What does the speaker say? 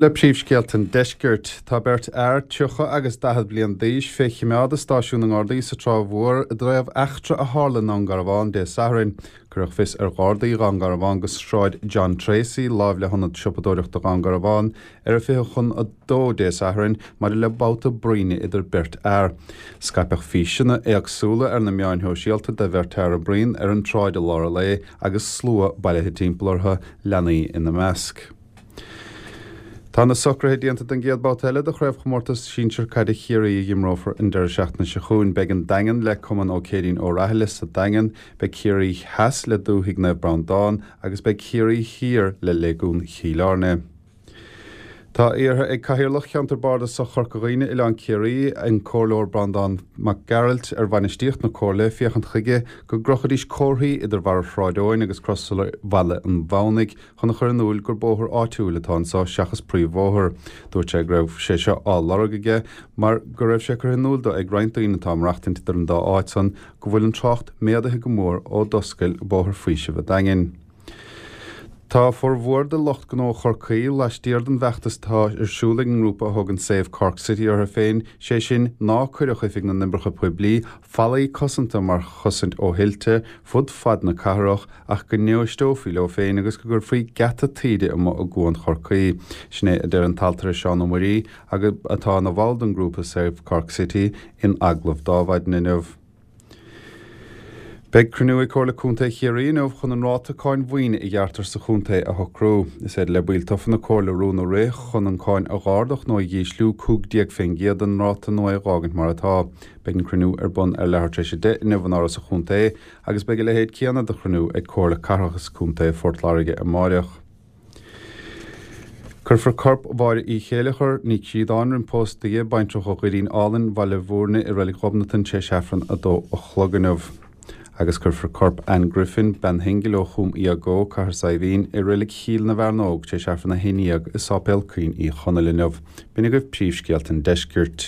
Le príomhscéalta an deiscirt, tá beirt fhear, 30 agus 40 bliain d'aois, fé choimeád i stáisiún na nGardaí sa Trá Mhór i dtaobh eachtra a tharla i nDún Garbhán Dé Sathairn. Cuireadh fios ar Ghardaí Dhún Garbhán go Sráid John Tracey, láimh le hIonad Siopadóireachta Dhún Garbhán, ar a 1:40 Dé Sathairn maidir le babhta bruíne idir beirt fhear. Scaipeadh físeanna éagsúla ar na meáin shóisialta de bheirt fhear ag bruíon ar an tsráid i lár an lae agus slua bailithe timpeall orthu, leanaí ina measc. Tá na socruithe déanta don gcéad babhta eile de Chraobhchomórtas Sinsir Caide Chiarraí a dh'imreofar an deireadh seachtaine seo chugainn. Beidh an Daingean le Cumann Ó Céirín Ó Rathaille sa Daingean, beidh Ciarraí Theas le Dúthaigh Naomh Breandán agus beidh Ciarraí Thiar le Léigiún Chill Airne. Tá iarrtha ag Cathaoirleach Cheantar Bardasach Chorca Dhuibhne, Oileán Ciarraí, an Comhairleoir Breandán Mac Gearailt, ar bhainistíocht na Comhairle féachaint chuige go gcrochfaidís comharthaí idir bharra Shráid Eoin agus Crosaire Bhaile an Mhamhnaigh chun a chur in iúil gur bóthar áitiúil atá anso seachas príomhbhóthar. Dúirt sé go raibh sé seo á lorg aige mar go raibh sé curtha in iúil dó ag roinnt daoine atá ag maireachtaint idir an dá áit san go bhfuil an trácht méadaithe go mór ó d'oscail Bóthar Faoisimh a' Daingin. Tá formhór de lucht gnó Chorcaí laistiar den bhfeachtas atá ar siúl ag an ngrúpa a thugann Save Cork City orthu féin, sé sin, ná cuireadh Oifig na nOibreacha Poiblí fallaí cosanta mar chosaint ó thuilte fud fad na cathrach ach go n-éisteofaí leo féin agus go gcuirfí geata taoide amuigh i gCuan Chorcaí. Sin é a deir an t-ailtire Seán Ó Muirí, atá ina bhall den ghrúpa Save Cork City, in agallamh d'Adhmhaidin inniu. Beidh cruinniú ag Comhairle Contae Chiarraí inniu chun an ráta cáin mhaoine a ghearrtar sa chontae a shocrú. Is féidir le baill tofa na Comhairle rún a rith chun an cáin a dh'ardach nó a dh'ísliú 15 fén gcéad den ráta nó é a dh'fhágaint mar atá. Beidh an cruinniú ar bun ar leathuair tar éis 10 inniu in Áras an Chontae agus beidh a leithéid céanna de chruinniú ag Comhairle Cathrach is Contae Phort Láirge amáireach. Cuirfear corp Mháire Uí Chéileachair, Ní Chríodáin, roim pósta di, baintreach ó Dhoirín Álainn, Bhaile Mhúirne i Reilig Ghobnatan tar éis Aifreann 2 a chlog inniu. Agus cuirfear corp Anne Griffin, bean shingil ó Chúm Iagó, Cathair Saidhbhín, i Reilig Chill na bhFearnóg tar éis Aifreann 11 i Sáipéal Caoin Uí Chonaill inniu. B'in agaibh príomhscéalta an deiscirt.